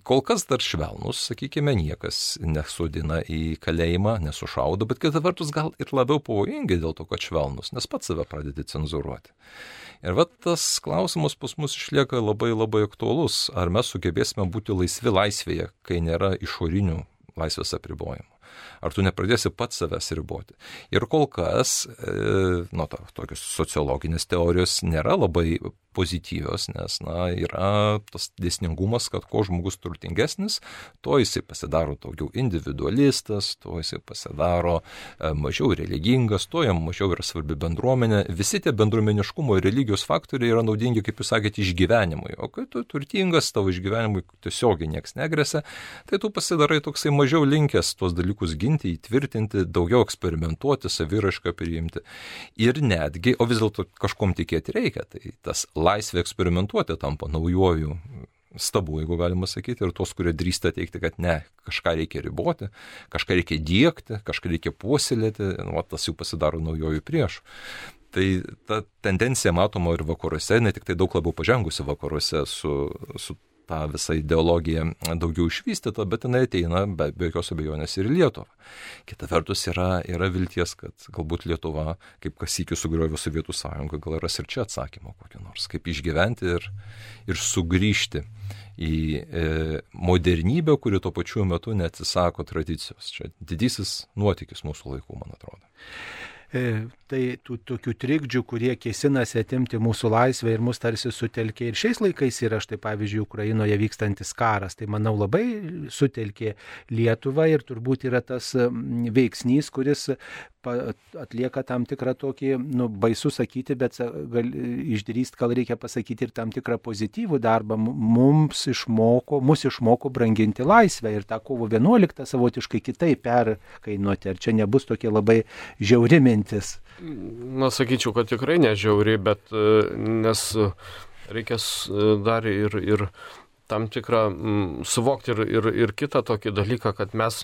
S3: Kol kas dar švelnus, sakykime, niekas nesudina į kalėjimą, nesušaudo, bet kita vertus gal ir labiau pavojingi dėl to, kad švelnus, nes pats save pradedi cenzuruoti. Ir tas klausimas pas mus išlieka labai labai aktualus. Ar mes sugebėsime būti laisvi laisvėje, kai nėra išorinių laisvės apribojimų? Ar tu nepradėsi pats savęs riboti? Ir kol kas, tokios sociologinės teorijos nėra labai pozityvios, nes yra tas dėsningumas, kad kuo žmogus turtingesnis, to jisai pasidaro daugiau individualistas, to jisai pasidaro mažiau religingas, to jam mažiau yra svarbi bendruomenė. Visi tie bendruomeniškumo ir religijos faktoriai yra naudingi, kaip jūs sakėte, išgyvenimui. O kai tu turtingas, tavo išgyvenimui tiesiogiai nieks negresia, tai tu pasidarai toksai mažiau linkęs tuos dalykus ginti, įtvirtinti, daugiau eksperimentuoti, saviraišką priimti. Ir netgi, o vis dėlto kažkom tikėti reikia, tai tas laisvė eksperimentuoti tampa naujuoju stabu, jeigu galima sakyti, ir tos, kurie drįsta teikti, kad ne, kažką reikia riboti, kažką reikia diegti, kažką reikia puoselėti, tas jau pasidaro naujojų priešų. Tai ta tendencija matoma ir vakaruose, ne tik tai daug labiau pažengusi vakaruose su tą visą ideologiją daugiau išvystyta, bet jinai ateina be jokios abejonės ir į Lietuvą. Kita vertus yra vilties, kad galbūt Lietuva, kaip kas sykį sugriovė Sovietų Sąjungą, gal ras ir čia atsakymą kokį nors, kaip išgyventi ir sugrįžti į modernybę, kuri tuo pačiu metu neatsisako tradicijos. Čia didysis nuotykis mūsų laikų, man atrodo.
S1: Tai tų tokių trikdžių, kurie kėsinasi atimti mūsų laisvę ir mus tarsi sutelkė. Ir šiais laikais yra štai pavyzdžiui Ukrainoje vykstantis karas. Tai manau labai sutelkė Lietuvą ir turbūt yra tas veiksnys, kuris atlieka tam tikrą tokį, baisu sakyti, bet išdrįst gal reikia pasakyti ir tam tikrą pozityvų darbą. Mus išmoko branginti laisvę ir tą kovo 11 savotiškai kitaip perkainuoti. Ar čia nebus tokia labai žiauri mintis?
S2: Sakyčiau, kad tikrai nežiauri, bet nes reikės dar ir tam tikrą suvokti ir kitą tokį dalyką, kad mes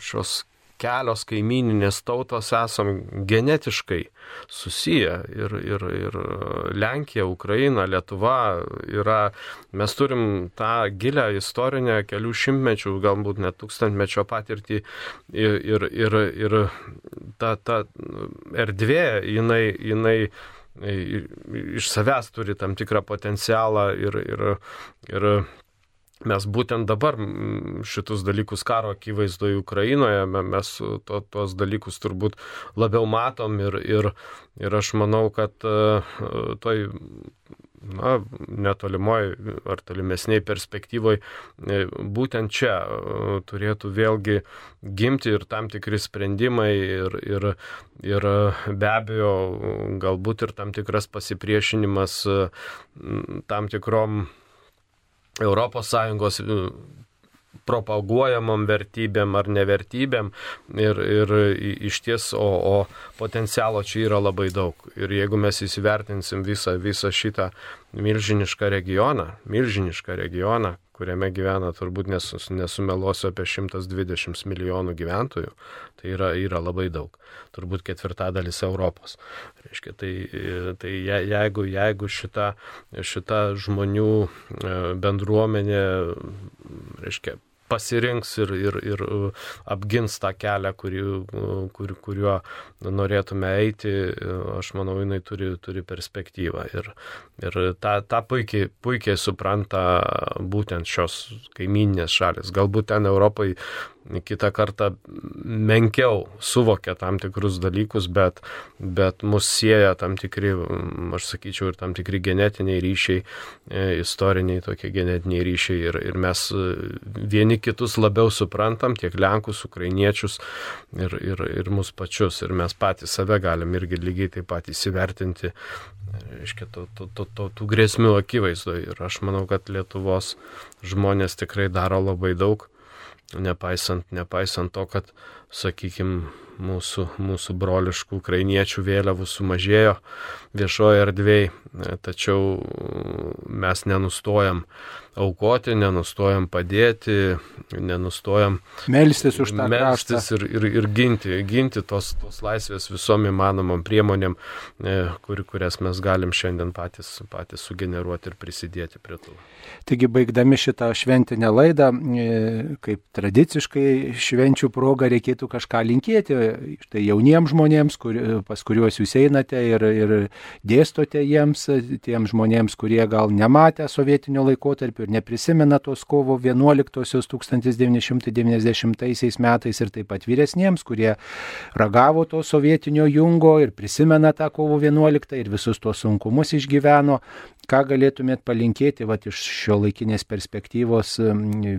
S2: šios kelios kaimyninės tautos esam genetiškai susiję ir Lenkija, Ukraina, Lietuva mes turim tą gilią istorinę kelių šimtmečių, galbūt net tūkstantmečio patirtį ir ta erdvė, jinai iš savęs turi tam tikrą potencialą ir mes būtent dabar šitus dalykus karo akivaizdoje Ukrainoje, mes tuos dalykus turbūt labiau matom ir aš manau, kad toj netolimoje ar tolimesnėje perspektyvoje būtent čia turėtų vėlgi gimti ir tam tikri sprendimai ir be abejo galbūt ir tam tikras pasipriešinimas tam tikrom ES propaguojamom vertybėm ar nevertybėm ir iš ties, o potencialo čia yra labai daug. Ir jeigu mes įsivertinsim visą šitą milžinišką regioną, kuriame gyvena turbūt nesumeluosiu apie 120 milijonų gyventojų, tai yra labai daug. Turbūt 1/4 Europos. Reiškia, tai jeigu šita žmonių bendruomenė, reiškia, pasirinks ir apgins tą kelią, kuriuo norėtume eiti, aš manau, jinai turi perspektyvą. Ir tą puikiai supranta būtent šios kaimyninės šalis. Galbūt ten Europai kitą kartą menkiau suvokia tam tikrus dalykus, bet mus sieja tam tikri, aš sakyčiau, ir tam tikri genetiniai ryšiai, istoriniai tokie genetiniai ryšiai ir mes vieni kitus labiau suprantam, tiek Lenkus, Ukrainiečius ir mus pačius. Ir mes patys save galim irgi lygiai taip pat įsivertinti, reiškia, tų grėsmių akivaizdoje. Ir aš manau, kad Lietuvos žmonės tikrai daro labai daug, nepaisant to, kad, sakykime, mūsų broliškų ukrainiečių vėliavų sumažėjo viešoje erdvėje, tačiau mes nenustojam aukoti, nenustojam padėti, nenustojam
S1: melstis už tą kraštą
S2: ir ginti tos laisvės visom įmanomom priemonėm, kurias mes galim šiandien patys sugeneruoti ir prisidėti prie tų.
S1: Taigi, baigdami šitą šventinę laidą, kaip tradiciškai švenčių proga reikėtų kažką linkėti. Tai jauniems žmonėms, pas kuriuos jūs einate ir dėstote jiems, tiems žmonėms, kurie gal nematė sovietinio laikotarpio ir neprisimena tos kovo 11-osios 1990 metais, ir taip pat vyresniems, kurie ragavo to sovietinio jungo ir prisimena tą kovo 11 ir visus tos sunkumus išgyveno. Ką galėtumėt palinkėti iš šio laikinės perspektyvos,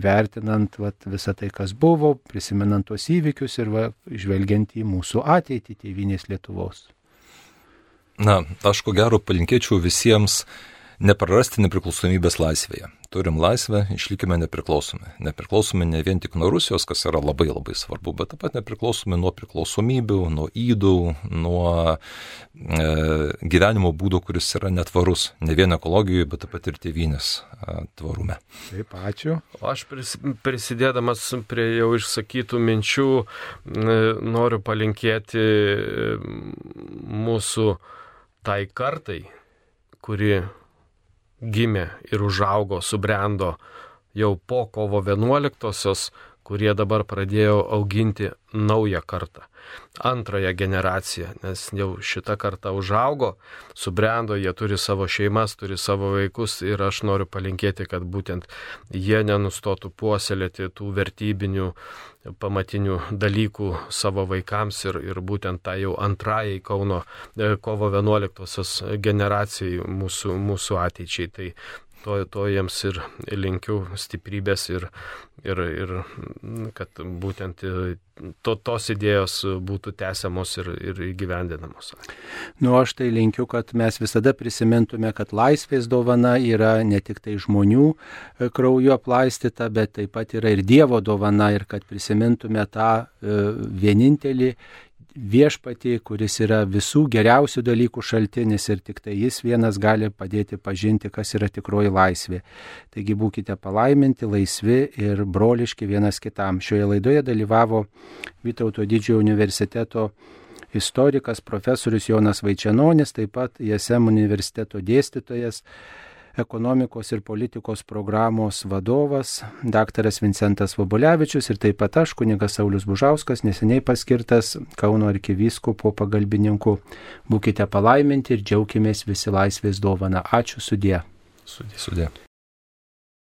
S1: vertinant visą tai, kas buvo, prisimenant tos įvykius ir žvelgiant į mūsų ateitį tėvynės Lietuvos?
S3: Aš ko gero palinkėčiau visiems neprarasti nepriklausomybės laisvėje. Turim laisvę, išlikime nepriklausomi. Nepriklausomi ne vien tik nuo Rusijos, kas yra labai labai svarbu, bet taip pat nepriklausomi nuo priklausomybių, nuo ydų, nuo gyvenimo būdo, kuris yra netvarus. Ne vien ekologijoje, bet taip pat ir tėvynės tvarume.
S1: Taip, ačiū.
S2: Aš prisidėdamas prie jau išsakytų minčių noriu palinkėti mūsų tai kartai, kuri gimė ir užaugo, subrendo jau po kovo 11-osios, kurie dabar pradėjo auginti naują kartą, antrąją generaciją, nes jau šita karta užaugo, subrendo, jie turi savo šeimas, turi savo vaikus ir aš noriu palinkėti, kad būtent jie nenustotų puoselėti tų vertybinių pamatinių dalykų savo vaikams ir būtent tą jau antrajai kovo 11-osios generacijai mūsų ateičiai. Tai to jiems ir linkiu stiprybės ir kad būtent tos idėjos būtų tęsiamos ir įgyvendinamos.
S1: Aš tai linkiu, kad mes visada prisimintume, kad laisvės dovana yra ne tik tai žmonių krauju aplaistyta, bet taip pat yra ir Dievo dovana ir kad prisimintume tą vienintelį viešpatį, kuris yra visų geriausių dalykų šaltinis ir tik tai jis vienas gali padėti pažinti, kas yra tikroji laisvė. Taigi būkite palaiminti, laisvi ir broliški vienas kitam. Šioje laidoje dalyvavo Vytauto Didžiojo universiteto istorikas profesorius Jonas Vaičenonis, taip pat ISM universiteto dėstytojas, ekonomikos ir politikos programos vadovas daktaras Vincentas Vobolevičius ir taip pat aš, kunigas Saulius Bužauskas, neseniai paskirtas Kauno arkivyskupo pagalbininku. Būkite palaiminti ir džiaukimės visi laisvės dovana. Ačiū, sudie.
S3: Sudie.